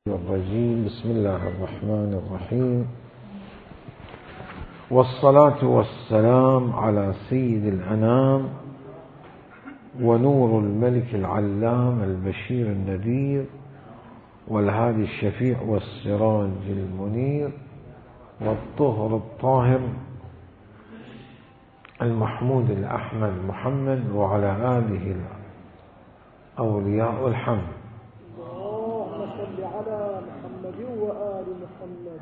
الرجيم. بسم الله الرحمن الرحيم، والصلاة والسلام على سيد الأنام ونور الملك العلام البشير النذير والهادي الشفيع والسراج المنير والطهر الطاهر المحمود الأحمد محمد وعلى آله الأولياء الحمد. اللهم صل على محمد وآل محمد.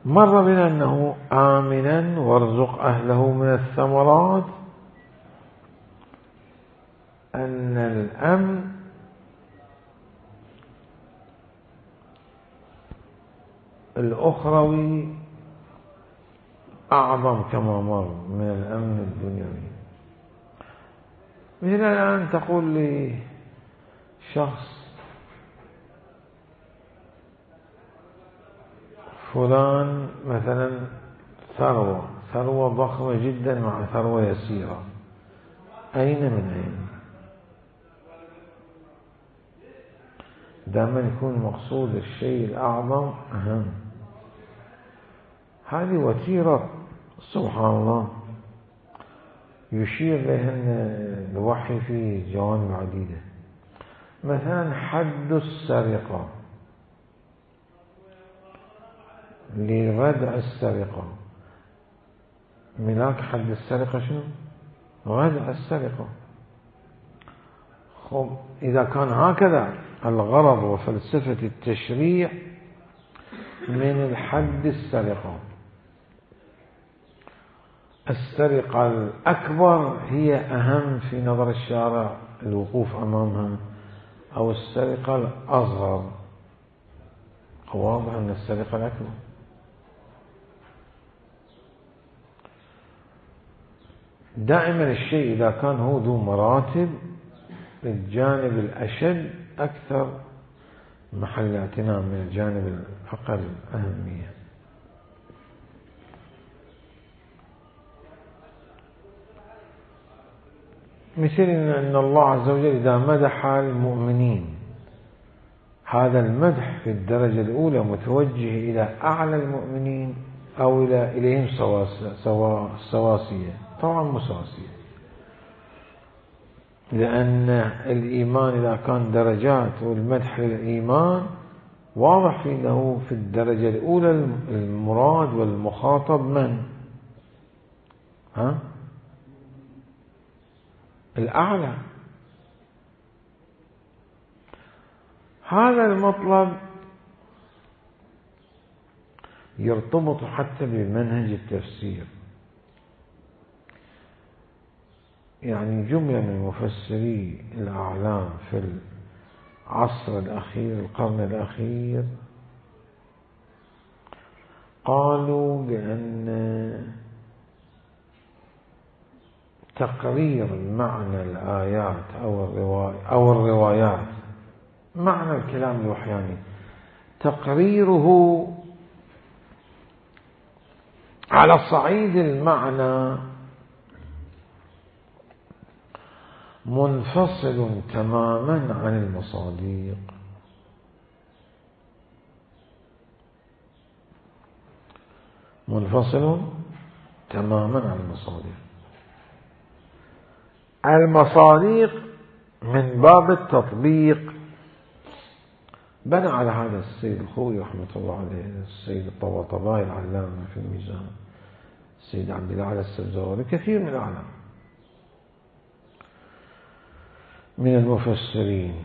مر بنا أنه آمنا وارزق أهله من الثمرات، أن الأمن الأخروي أعظم كما مر من الأمن الدنيوي. مثل الآن تقول لي شخص فلان مثلا ثروة ضخمة جدا مع ثروة يسيرة، أين من أين؟ دائما يكون مقصود الشيء الأعظم أهم. هذه وتيرة سبحان الله يشير لهن الوحي في جوانب عديدة. مثلا حد السرقة لردع السرقة، ملاك حد السرقة شنو؟ ردع السرقة. خب إذا كان هكذا الغرض وفلسفة التشريع من الحد السرقة، السرقة الأكبر هي أهم في نظر الشارع الوقوف أمامها، أو السرقة الأصغر؟ واضح أن السرقة الأكبر. دائما الشيء إذا كان هو ذو مراتب، الجانب الأشد أكثر محل اعتناء من الجانب الأقل أهمية. مثل أن الله عز وجل إذا مدح المؤمنين، هذا المدح في الدرجة الأولى متوجه إلى أعلى المؤمنين أو إليهم سواسية، طبعا مساسية، لأن الإيمان إذا كان درجات والمدح للإيمان واضح في أنه في الدرجة الأولى المراد والمخاطب من؟ الأعلى. هذا المطلب يرتبط حتى بمنهج التفسير. يعني جملة من مفسري الأعلام في العصر الأخير القرن الأخير قالوا بأن تقرير معنى الآيات أو الروايات، معنى الكلام الوحياني، تقريره على صعيد المعنى منفصل تماما عن المصادق. منفصل تماما عن المصادق. المصادق من باب التطبيق بنى على هذا السيد الخوي رحمة الله عليه، السيد الطباطبائي العلامة في الميزان، السيد عبد الله السبزواري، كثير من الأعلام من المفسرين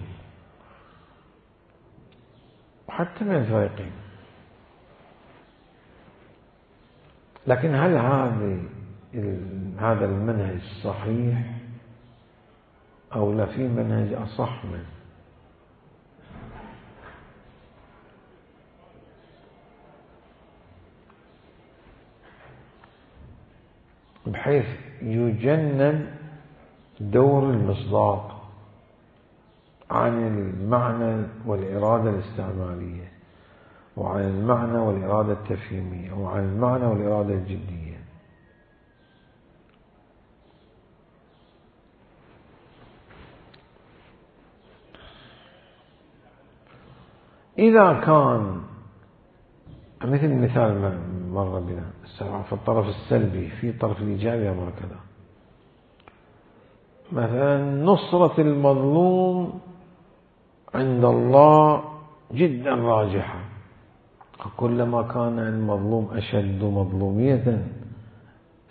وحتى من الفائقين. لكن هل هذا المنهج صحيح أو لا في منهج أصح منه؟ بحيث يجنن دور المصداق عن المعنى والإرادة الاستعمالية، وعن المعنى والإرادة التفهيمية، وعن المعنى والإرادة الجدية. إذا كان مثل المثال ما مر بنا في الطرف السلبي، في الطرف الإيجابي أمر كذا، مثلا نصرة المظلوم عند الله جدا راجحة، كلما كان المظلوم أشد مظلومية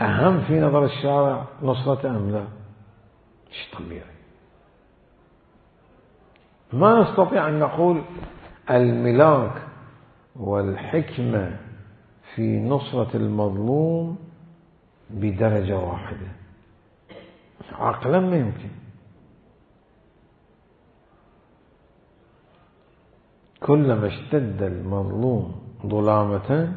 أهم في نظر الشارع نصرة أم لا؟ شيء طبيعي. ما نستطيع أن نقول الملاك والحكمة في نصرة المظلوم بدرجة واحدة، عقلا ما يمكن. كلما اشتد المظلوم ظلامة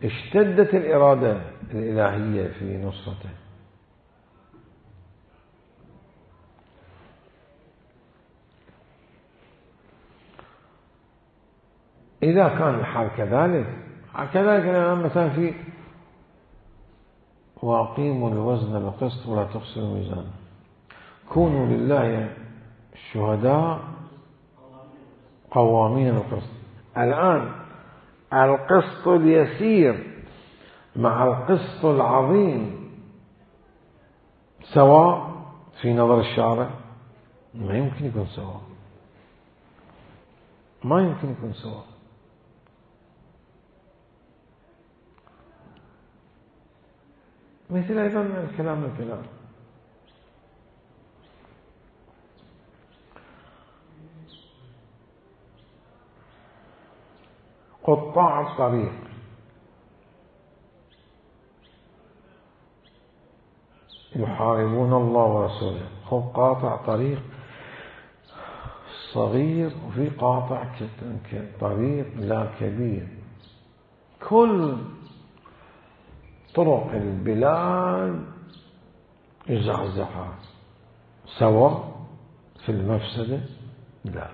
اشتدت الإرادة الإلهية في نصرته. إذا كان الحال كذلك الآن مثلا في وأقيموا الوزن بالقسط ولا تخسروا الميزان، كونوا لله الشهداء قوامين بالقسط. الآن القسط اليسير مع القسط العظيم سواء في نظر الشارع؟ ما يمكن يكون سواء، ما يمكن يكون سواء. مثل أيضا الكلام قطاع الطريق يحاربون الله ورسوله. خب قاطع طريق صغير وفي قاطع طريق لا كبير، كل طرق البلاد يزعزعها، سواء في المفسدة؟ لا.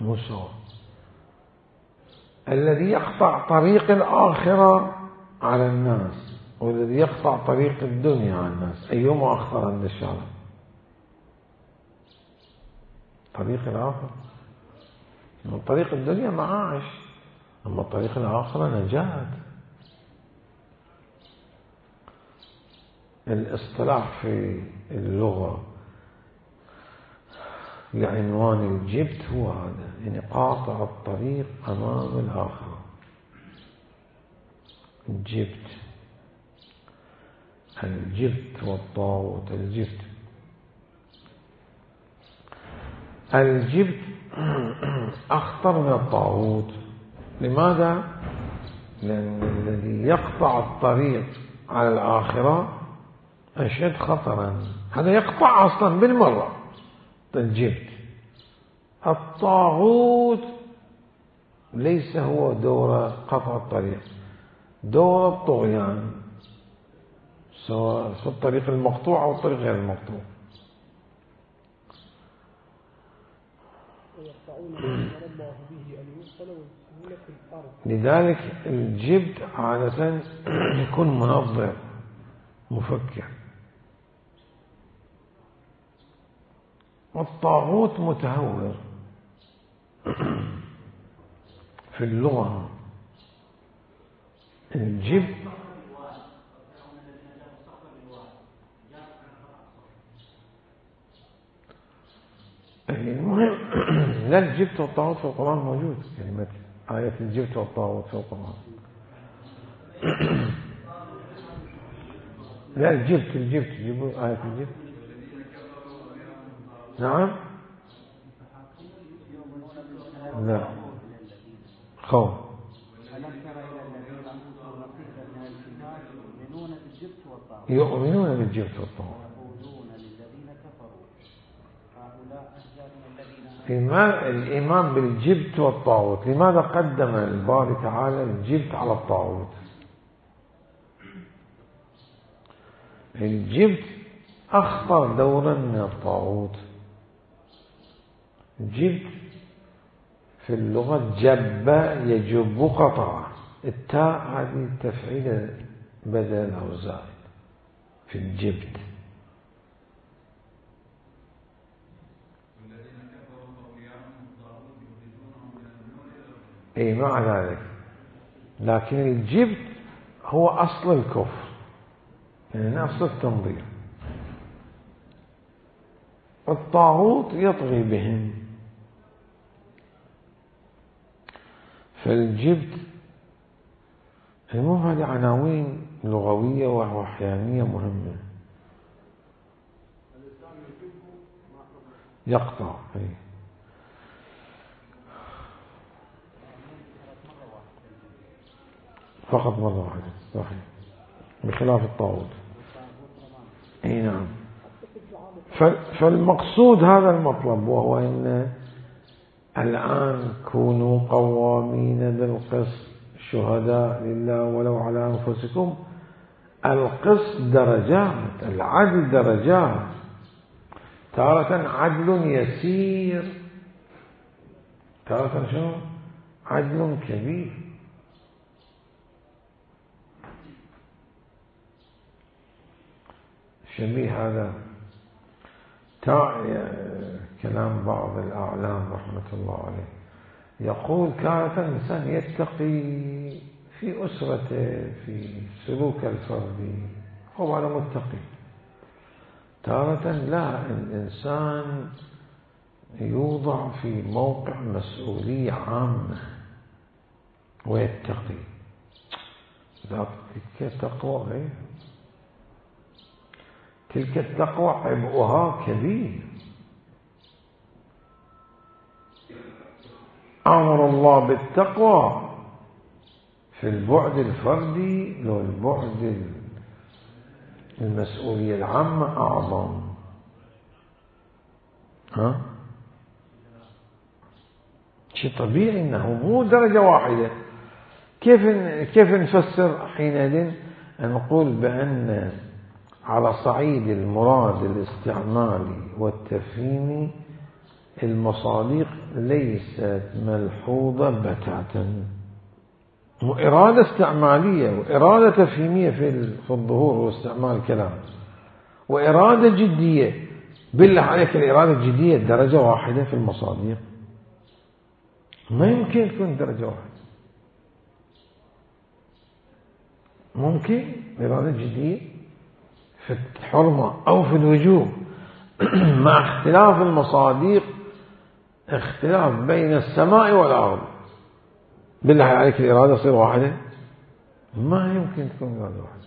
مو سواء. الذي يقطع طريق الآخرة على الناس والذي يقطع طريق الدنيا على الناس، أيهما أخطر عند الشارع؟ طريق الآخرة. من طريق الدنيا معاش، أما طريق الآخرة نجاة. الاصطلاح في اللغة لعنوان الجبت هو هذا، يعني قاطع الطريق أمام الآخرة. الجبت والطاغوت. الجبت أخطر من الطاغوت. لماذا؟ لأن الذي يقطع الطريق على الآخرة أشد خطرا، هذا يقطع أصلا بالمرة. الجبت. الطاغوت ليس هو دور قطع الطريق، دور الطغيان، سواء في الطريق المقطوع أو الطريق غير المقطوع. لذلك الجبت عادة يكون منظر مفكر، والطاغوت متهور. في اللغة الجبت المهم لا، الجبت والطاغوت في القرآن موجود، كلمة آية الجبت والطاغوت في القرآن. لا، الجبت جيبوا آية الجبت. نعم. لا، خوف. يؤمنون بالجبت والطاغوت. الإيمان بالجبت والطاغوت، لماذا قدم الباري تعالى الجبت على الطاغوت؟ الجبت أخطر دورا من الطاغوت. جبت في اللغة جب يجب قطع، التاء هذه التفعيل بدل أو زائد في الجبت. اي مع ذلك، لكن الجبت هو أصل الكفر، يعني نفس التنظير. الطاغوت يطغي بهم، فالجبت المهم هذه عناوين لغوية وأحيانية مهمة. يقطع فقط مرة واحدة صحيح، بخلاف الطاغوت. اي نعم. فالمقصود هذا المطلب، وهو ان الآن كونوا قوامين بالقسط شهداء لله ولو على أنفسكم. القسط درجات، العدل درجات، تارة عدل يسير، تارة شنو؟ عدل كبير. شبيه هذا كلام بعض الأعلام رحمة الله عليه، يقول كانت الإنسان يتقي في أسرته في سلوك الفردي، هو على متقي. تارة لا، الإنسان يوضع في موقع مسؤولية عامة ويتقي، ذلك تقوى غير، تلك التقوى عبئها كبير. أمر الله بالتقوى في البعد الفردي، لو البعد المسؤولية العامة أعظم. شيء طبيعي أنه مو درجة واحدة. كيف نفسر حينئذ أن نقول بأن على صعيد المراد الاستعمالي والتفهيمي المصادق ليست ملحوظة بتاتا، وإرادة استعمالية وإرادة تفهيمية في الظهور واستعمال الكلام، وإرادة جدية. بالله عليك الإرادة الجدية درجة واحدة في المصادق؟ ما يمكن تكون درجة واحدة. ممكن الإرادة الجدية في الحرمة أو في الوجوب مع اختلاف المصادق، اختلاف بين السماء والأرض. بالله عليك الإرادة تصير واحدة؟ ما يمكن تكون إرادة واحدة.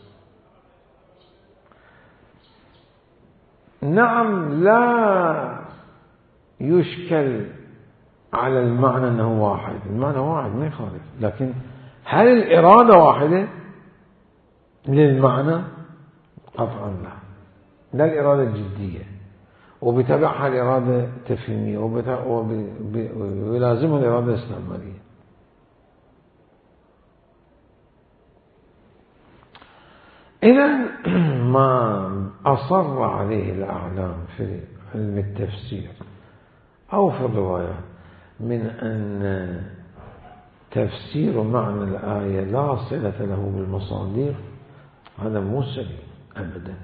نعم، لا يشكل على المعنى أنه واحد، المعنى واحد ما يخالف، لكن هل الإرادة واحدة للمعنى؟ قطعا لا، لا الإرادة الجدية وبتبعها الإرادة التفهيمية ويلازمها الإرادة الاستعمالية. إذن ما أصر عليه الأعلام في علم التفسير أو في الروايات من أن تفسير معنى الآية لا صلة له بالمصادر، هذا مو سليم أبدا.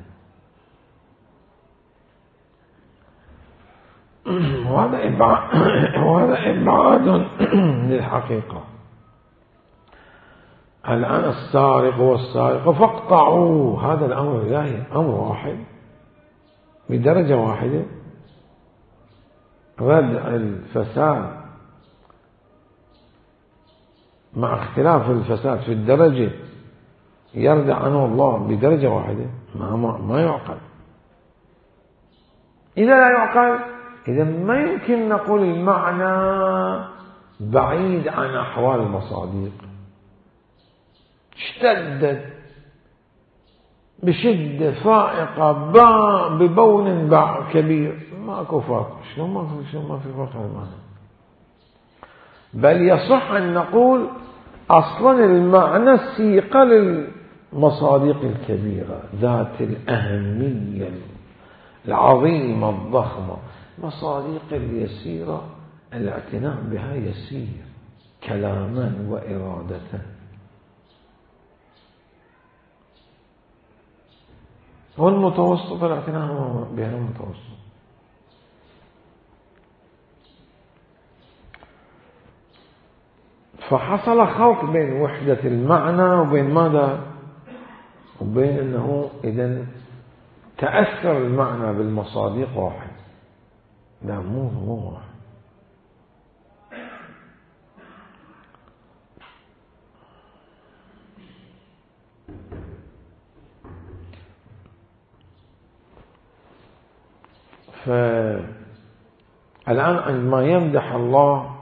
وهذا إبعاد للحقيقة. الآن السارق والسارقة فاقطعوا، هذا الأمر الإلهي أمر واحد بدرجة واحدة. ردع الفساد مع اختلاف الفساد في الدرجة يردع عنه الله بدرجة واحدة، ما يعقل. إذا لا يعقل، إذا ما يمكن نقول المعنى بعيد عن أحوال المصادق. اشتدت بشدة فائقة ببون كبير، ماكو فرق. شلون ما في فرق المعنى؟ بل يصح أن نقول أصلا المعنى سيقة للمصادق الكبيرة ذات الأهمية العظيمة الضخمة. مصادق اليسيرة الاعتناء بها يسير كلاما وإرادة. والمتوسط الاعتناء بها المتوسط. فحصل خلط بين وحدة المعنى وبين ماذا؟ وبين أنه إذن تأثر المعنى بالمصادق واحد. لا مو واحد. فالآن عندما يمدح الله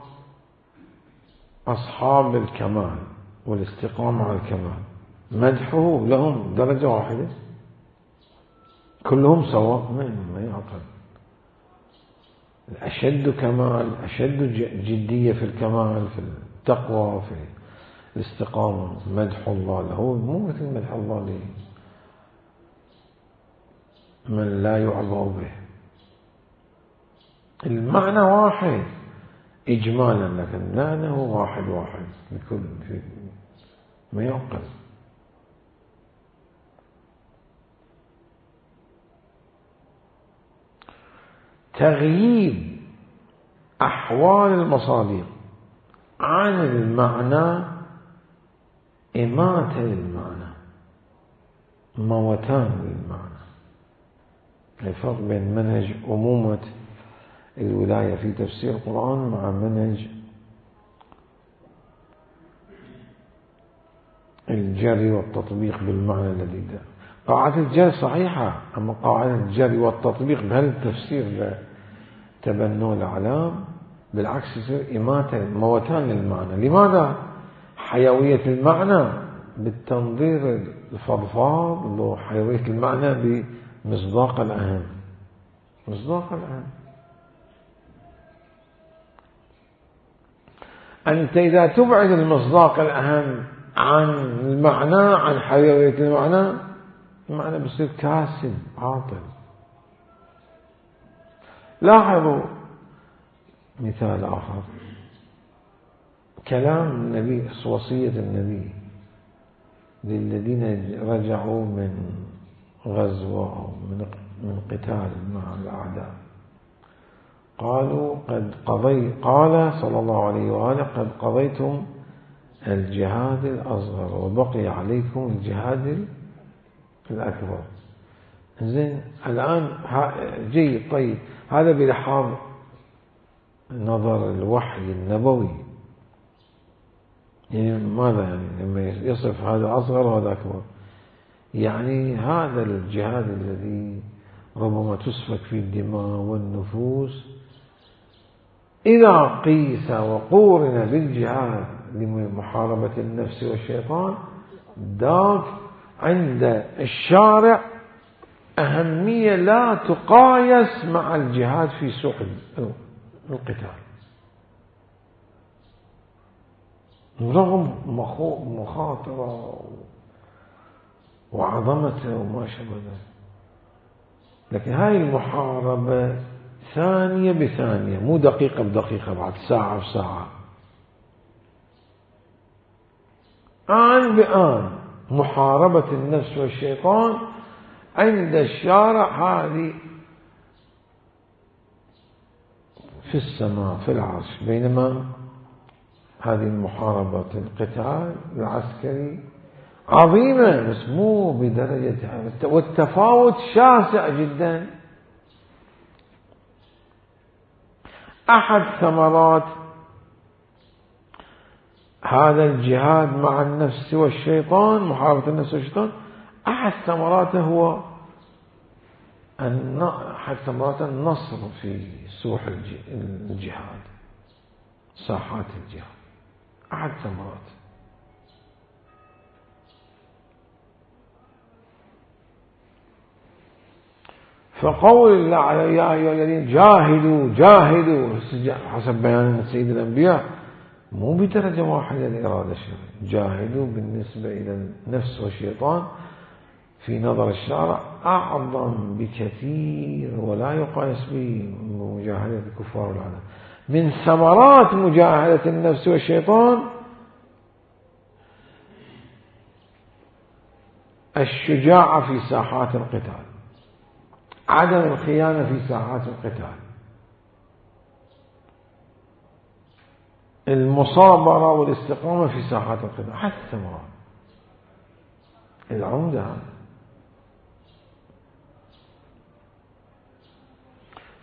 أصحاب الكمال والاستقامة على الكمال، مدحه لهم درجة واحدة؟ كلهم سواء؟ ما يعقل. أشد كمال، أشد جدية في الكمال، في التقوى، في الاستقامة، مدح الله له مو مثل مدح الله له من لا يعبأ به. المعنى واحد إجمالا، لكن معنى هو واحد بكل ما يعقل. تغييب أحوال المصادق عن المعنى إماتة للمعنى، موتان للمعنى. الفرق بين منهج أمومة الولاية في تفسير القرآن مع منهج الجري والتطبيق بالمعنى الذي ده. قاعدة الجري صحيحة، أما قاعدة الجري والتطبيق بهالتفسير تبنوا الأعلام بالعكس يصير إماتة، موتان للمعنى. لماذا؟ حيوية المعنى بالتنظير الفضفاض، وحيوية المعنى بمصداق الأهم. مصداق الأهم أنت إذا تبعد المصداق الأهم عن المعنى، عن حيوية المعنى بيصير كاسد عاطل. لاحظوا مثال آخر، كلام النبي، وصية النبي للذين رجعوا من غزوة أو من قتال مع الأعداء، قال صلى الله عليه وآله: قد قضيتم الجهاد الأصغر وبقي عليكم الجهاد الأكبر. زين، الآن جيد، طيب، هذا بلحاظ نظر الوحي النبوي. يعني ماذا يعني لما يصف هذا أصغر وهذا أكبر؟ يعني هذا الجهاد الذي ربما تسفك فيه الدماء والنفوس، إذا قيس وقورن بالجهاد لمحاربة النفس والشيطان، ذاك عند الشارع أهمية لا تقايس مع الجهاد في سوح القتال، رغم مخاطرة وعظمته وما شابه ذلك. لكن هاي المحاربة ثانية بثانية، مو دقيقة بدقيقة، بعد ساعة بساعة، آن بآن. محاربة النفس والشيطان عند الشارع هذه في السماء في العرش، بينما هذه المحاربة القتال العسكري عظيمة بس مو بدرجة، والتفاوت شاسع جدا. أحد ثمرات هذا الجهاد مع النفس والشيطان، محاربة النفس والشيطان، أحد ثمراته هو أحد ثمرات النصر في سوح الجهاد، ساحات الجهاد، أحد ثمرات. فقول الله عليه: يا أيها الذين جاهدوا حسب بيان سيد الأنبياء، مو بدرجة واحدة لإرادة الشرع. جاهدوا بالنسبة إلى النفس والشيطان في نظر الشارع أعظم بكثير، ولا يقاس بمجاهدة الكفار والعالم. من ثمرات مجاهدة النفس والشيطان الشجاعة في ساحات القتال، عدم الخيانة في ساحات القتال، المصابرة والاستقامة في ساحات القتال حتى مراد العمدة هذا.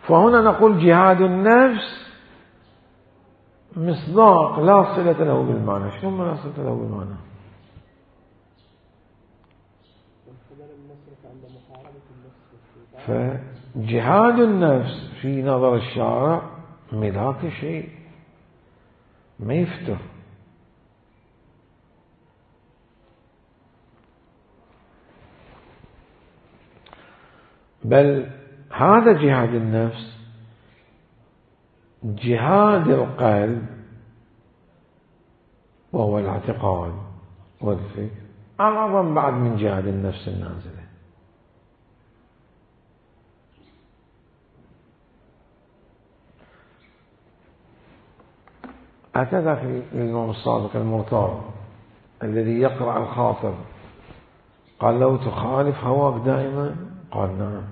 فهنا نقول جهاد النفس مصداق لا صلة له بالمعنى. شنو لا صلة له بالمعنى؟ فجهاد النفس في نظر الشارع ملاك شيء ما يفتر، بل هذا جهاد النفس جهاد القلب وهو الاعتقاد والفكر أعظم بعد من جهاد النفس النازلة. هكذا في الإمام الصادق المرتضى الذي يقرأ الخاطر قال له تخالف هواك دائما؟ قال نعم.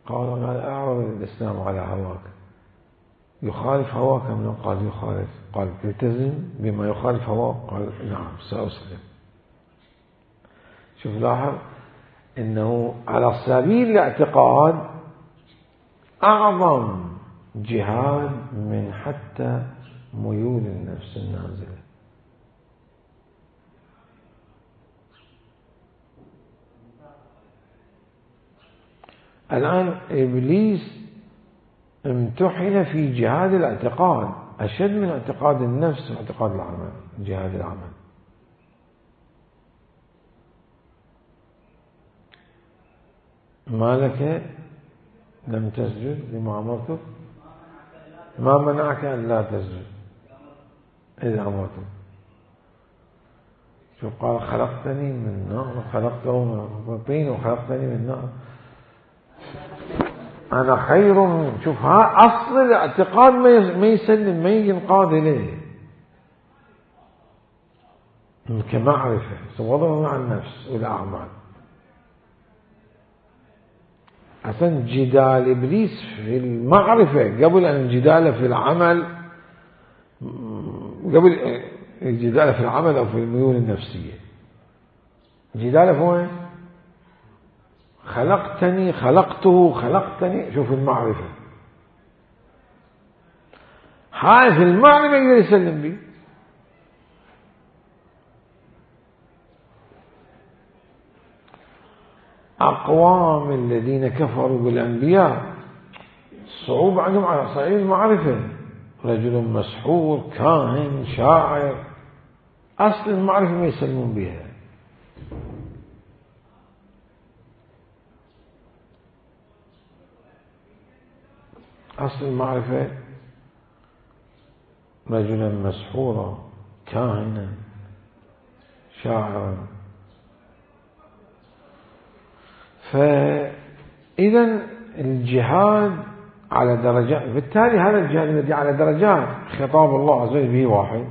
قال أعرض الإسلام على هواك، يخالف هواك أم لا؟ قال يخالف. قال تلتزم بما يخالف هواك؟ قال نعم سأسلم. شوف لاحظ إنه على سبيل الاعتقاد أعظم جهاد من حتى ميول النفس النازلة. الآن إبليس امتحن في جهاد الاعتقاد أشد من اعتقاد النفس واعتقاد العمل، جهاد العمل. ما لك لم تسجد لما أمرتك؟ ما منعك أن لا تسجد إذا أمرتك؟ شو قال خلقتني من نار وخلقته من طين وخلقتني من نار أنا خير من. شوف ها أصل الاعتقاد ما يسلم ما ينقاد إليه كمعرفة وضعه مع النفس والأعمال. أصلا جدال إبليس في المعرفة قبل أن جداله في العمل، قبل جداله في العمل أو في الميول النفسية. جداله في وين؟ خلقتني خلقته خلقتني. شوف المعرفة هاي في المعرفة يقدر يسلم به. أقوام الذين كفروا بالأنبياء صعوبة عندهم على صعيد المعرفة، رجل مسحور كاهن شاعر، أصل المعرفة ما يسلمون بها. أصل المعرفة رجلا مسحورا كاهنا شاعرا. فإذا الجهاد على درجات، بالتالي هذا الجهاد الذي على درجات خطاب الله عز وجل به واحد: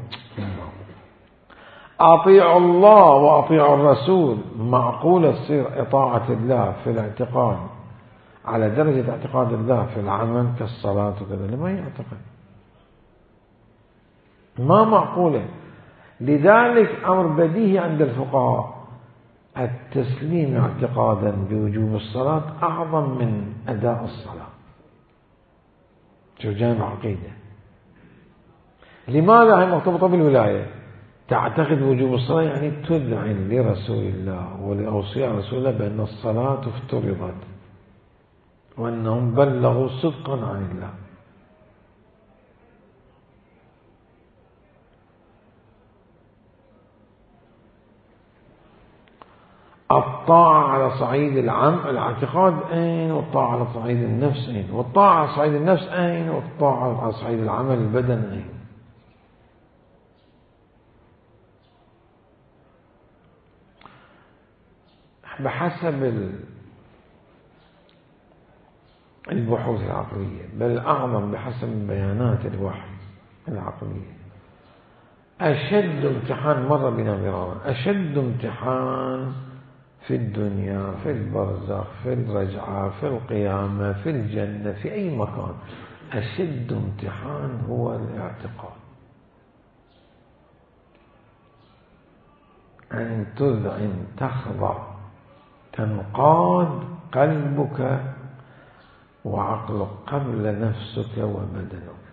أطيعوا الله وأطيعوا الرسول. معقولة تصير إطاعة الله في الاعتقاد على درجة اعتقاد الله في العمل كالصلاة وكذا؟ لما يعتقد ما معقولة. لذلك أمر بديهي عند الفقهاء التسليم اعتقادا بوجوب الصلاة أعظم من أداء الصلاة. شو جانب عقيدة. لماذا هي مرتبطة بالولاية؟ تعتقد وجوب الصلاة يعني تذعن لرسول الله ولأوصياء رسول الله بأن الصلاة افترضت وأنهم بلغوا صدقا عن الله. الطاعة على صعيد الاعتقاد أين، والطاعة على صعيد النفس أين، والطاعة على صعيد النفس أين، والطاعة على صعيد العمل البدن أين. بحسب البحوث العقلية، بل أعظم بحسب بيانات الوحي العقلية، أشد امتحان مر بنا مرارا، أشد امتحان في الدنيا، في البرزخ، في الرجعة، في القيامة، في الجنة، في أي مكان، أشد امتحان هو الاعتقاد. أن تذعن تخضع تنقاد قلبك وعقلك قبل نفسك وبدنك.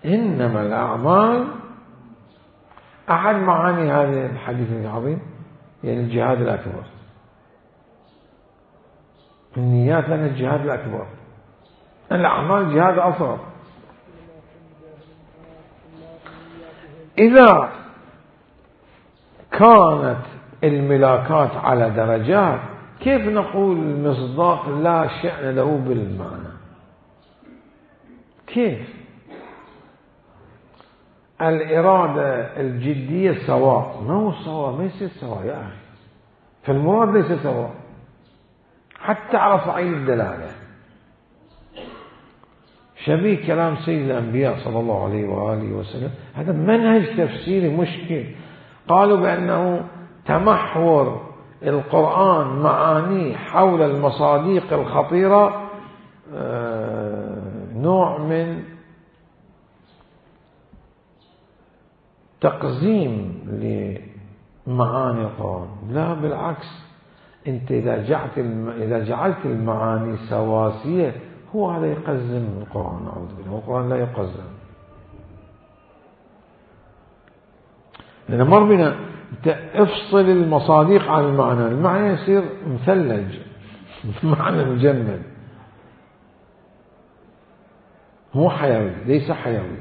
إنما الأعمال أحد معاني هذا الحديث العظيم يعني الجهاد الأكبر. النيات لنا الجهاد الأكبر، الأعمال جهاد أصغر. إذا كانت الملاكات على درجات كيف نقول المصداق لا شأن له بالمعنى؟ كيف؟ الإرادة الجدية سواء، ما هو سواء، ما يصير سواء يا أخي، فالمراد ليس سواء حتى على صعيد الدلالة. شبيه كلام سيد الأنبياء صلى الله عليه وآله وسلم، هذا منهج تفسيري مشكل. قالوا بأنه تمحور القرآن معانيه حول المصادق الخطيرة نوع من تقزيم لمعاني القرآن. لا بالعكس، أنت إذا جعلت المعاني سواسية هو هذا يقزم القرآن. أعوذ بالله، القرآن لا يقزم. لأن مر بنا افصل المصادق عن المعنى، المعنى يصير مثلج معنى مجمد، مو حيوي، ليس حيوي.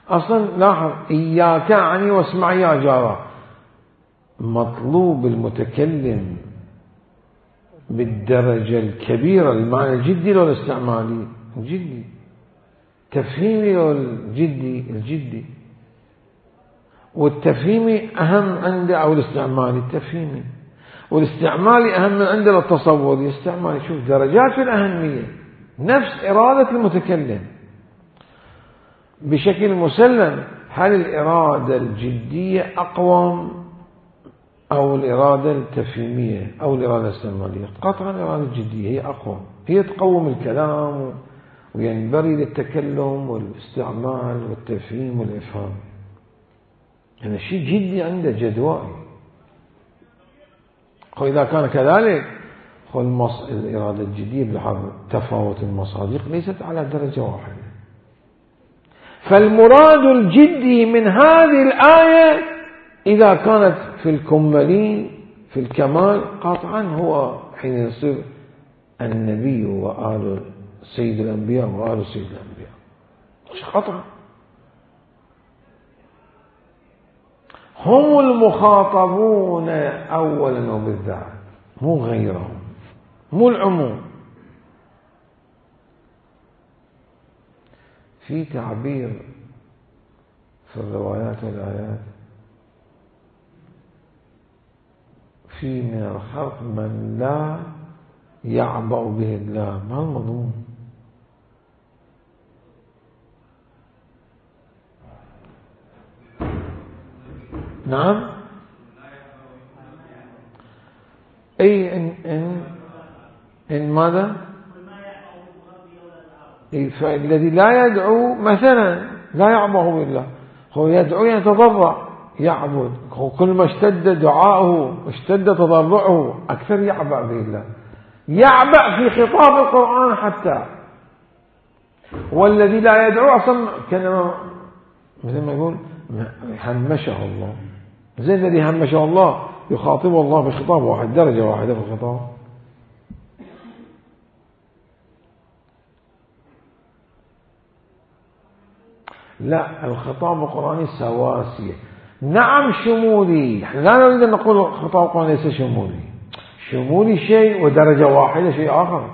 أصلا لاحظ إياك عني واسمع يا جارة، مطلوب المتكلم بالدرجة الكبيرة المعنى الجدي لو الاستعمالي الجدي، تفهيمي لو الجدي، والتفهيمي أهم عنده أو الاستعمالي التفهيمي، والاستعمالي أهم من عنده التصوري الاستعمالي. شوف درجات في الأهمية، نفس إرادة المتكلم بشكل مسلم. هل الإرادة الجدية أقوم أو الإرادة التفهيمية أو الإرادة الاستعمالية؟ قطعا الإرادة الجدية هي أقوى، هي تقوم الكلام وينبري للتكلم والاستعمال والتفهيم والإفهام. يعني شيء جدي عنده جدوائي. وإذا كان كذلك الإرادة الجدية بحسب تفاوت المصادق ليست على درجة واحدة. فالمراد الجدي من هذه الآية إذا كانت في الكمالين في الكمال قطعا هو حين يصير النبي وآل سيد الأنبياء وآل سيد الأنبياء، مش قطعا. هم المخاطبون أولا وبالذات، مو غيرهم، مو العموم. في تعبير في الروايات والآيات، في من الخلق من لا يعبأ به الله، ما المضمون؟ نعم، أي إن ماذا؟ فالذي لا يدعو مثلا لا يعبأ بالله، هو يدعو يتضرع يعبد، كل ما اشتد دعاؤه اشتد تضرعه أكثر يعبأ بالله، يعبأ في خطاب القرآن حتى. والذي لا يدعو أصلا كان مثل ما يقول همشه الله، زي الذي همشه الله يخاطبه الله بخطاب واحد، درجة واحدة في الخطاب. لا، الخطاب القرآني سواسية. نعم شمولي، احنا لا نريد أن نقول الخطاب القرآني ليس شمولي، شمولي شيء ودرجة واحدة شيء آخر.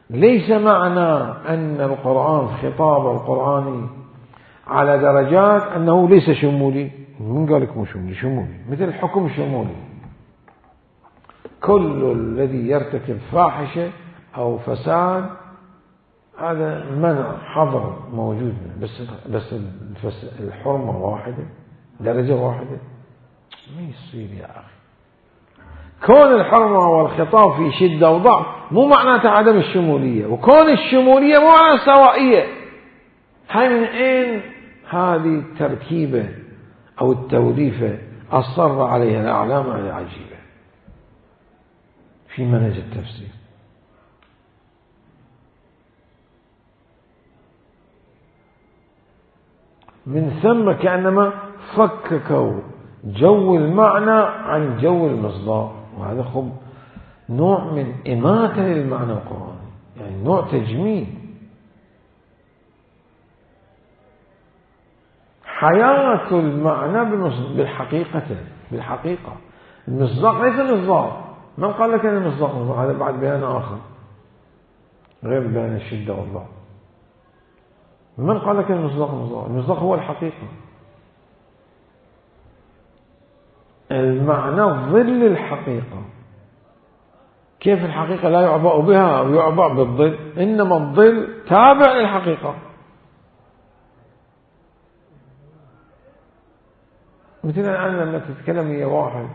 ليس معنى أن القرآن خطاب القرآني على درجات أنه ليس شمولي. من قال لك مو شمولي؟ شمولي مثل الحكم شمولي، كل الذي يرتكب فاحشة أو فساد هذا منع حظر موجود، بس الحرمة واحدة، درجة واحدة، ما يصير يا أخي. كون الحرمة والخطاب في شدة وضعف مو معناته عدم الشمولية، وكون الشمولية مو معناته سوائية. هاي من أين هذه التركيبة أو التوليفة أصر عليها الأعلام العجيبة في منهج التفسير. من ثم كأنما فككوا جو المعنى عن جو المصداق، وهذا خب نوع من إماتة للمعنى القرآني، يعني نوع تجميل. حياة المعنى بالحقيقة المصداق ليس مصداق. من قال لك أن المصداق مصداق؟ هذا بعد بيان آخر غير بيان الشدة والضعف. من قال لك المصداق مصداق؟ المصداق هو الحقيقة. المعنى ظل الحقيقة. كيف الحقيقة لا يعبأ بها أو يعبأ بالظل؟ إنما الظل تابع للحقيقة. مثل الآن لما تتكلم يا واحد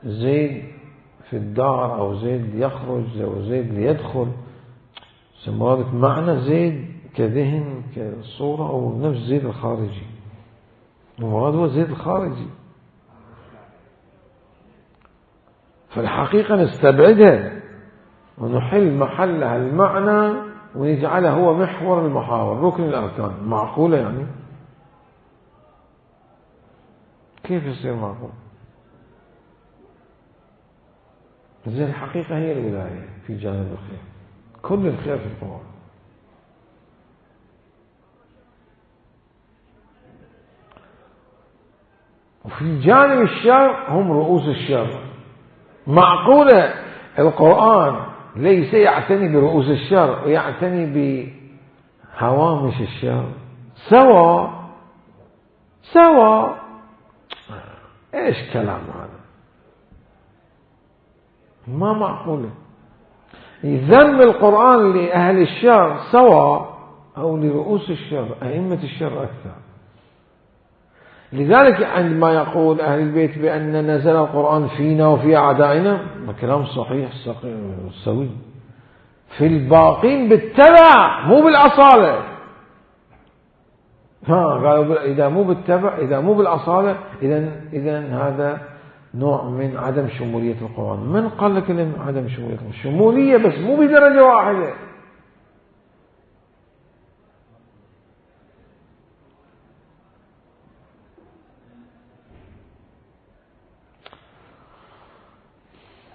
زيد في الدار أو زيد يخرج أو زيد ليدخل، سموات معنى زيد كذهن كصورة أو نفس زيد الخارجي، المراد هو زيد الخارجي. فالحقيقة نستبعدها ونحل محلها المعنى ونجعله هو محور المحاور ركن الأركان. معقولة يعني؟ كيف يصير معقول؟ زي الحقيقة هي الولاية في جانب الخير، كل الخير في القرآن. وفي جانب الشر هم رؤوس الشر. معقولة القرآن ليس يعتني برؤوس الشر ويعتني بهوامش الشر؟ سوا ايش كلام هذا؟ ما معقولة. ذم القرآن لأهل الشر سواء أو لرؤوس الشر أئمة الشر أكثر. لذلك عندما يقول أهل البيت بأن نزل القرآن فينا وفي أعدائنا، كلام صحيح سوي. في الباقين بالتبع مو بالأصالة. قالوا إذا مو بالتبع إذا مو بالأصالة إذن هذا نوع من عدم شمولية القرآن. من قال لك إن عدم شمولية؟ شمولية بس مو بدرجة واحدة.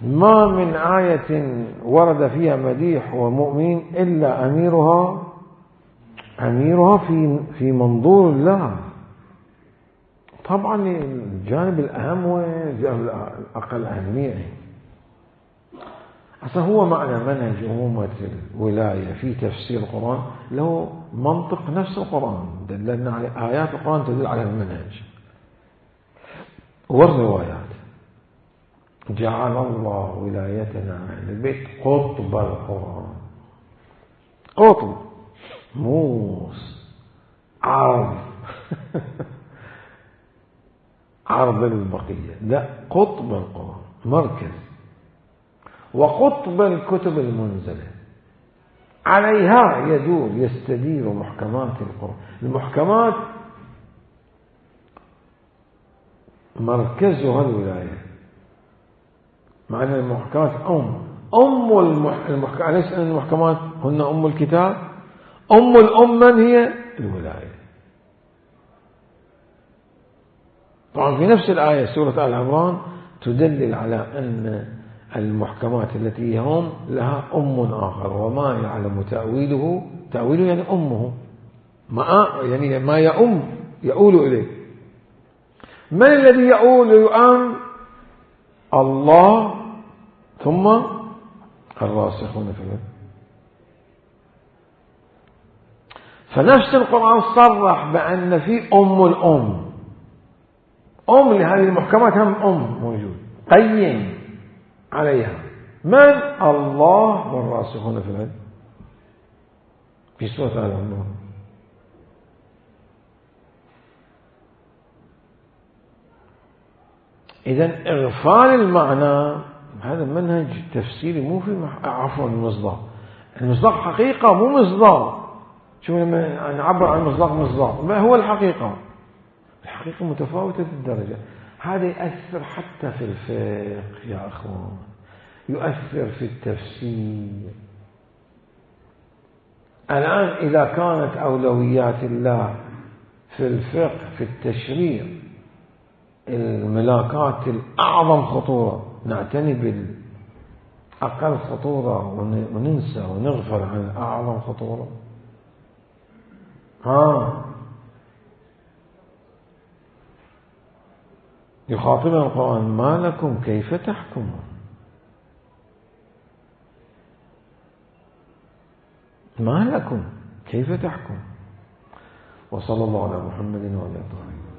ما من آية ورد فيها مديح ومؤمن إلا أميرها في منظور الله. طبعا الجانب الأهم والجانب الأقل أهمية. أصلا هو معنى منهج أمومة الولاية في تفسير القرآن له منطق نفس القرآن، دلنا على آيات القرآن تدل على المنهج والروايات. جعل الله ولايتنا أهل البيت قطب القرآن. قطب موس عرض عرض للبقية، لا، قطب القرآن مركز. وقطب الكتب المنزلة عليها يدور يستدير محكمات القرآن. المحكمات مركزها الولاية، مع أن المحكمات المحكمات ليس أن المحكمات هن أم الكتاب. أم من هي الولاية. طبعا في نفس الآية سورة آل عمران تدلل على أن المحكمات التي هم لها آخر، وما يعلم تأويله يعني أمه، يعني ما يؤول إليه. من الذي يؤم؟ الله ثم الراسخون في العلم. فنفس القرآن صرح بأن في أم لهذه المحكمات، هم موجود قيم عليها. من؟ الله والراسخون في العلم في سورة آل عمران. إذن إغفال المعنى هذا منهج تفسيري مو في عفوا المصداق. المصداق حقيقة مو مصداق. شو لما نعبر عن المصداق مصداق ما هو الحقيقة متفاوتة الدرجة. هذا يؤثر حتى في الفقه يا أخوان، يؤثر في التفسير. الآن إذا كانت أولويات الله في الفقه في التشريع الملاكات الأعظم خطورة، نعتني بالأقل خطورة وننسى ونغفل عن الأعظم خطورة. يخاطبنا القرآن ما لكم كيف تحكمون، ما لكم كيف تحكم. وصلى الله على محمد وعلى آله.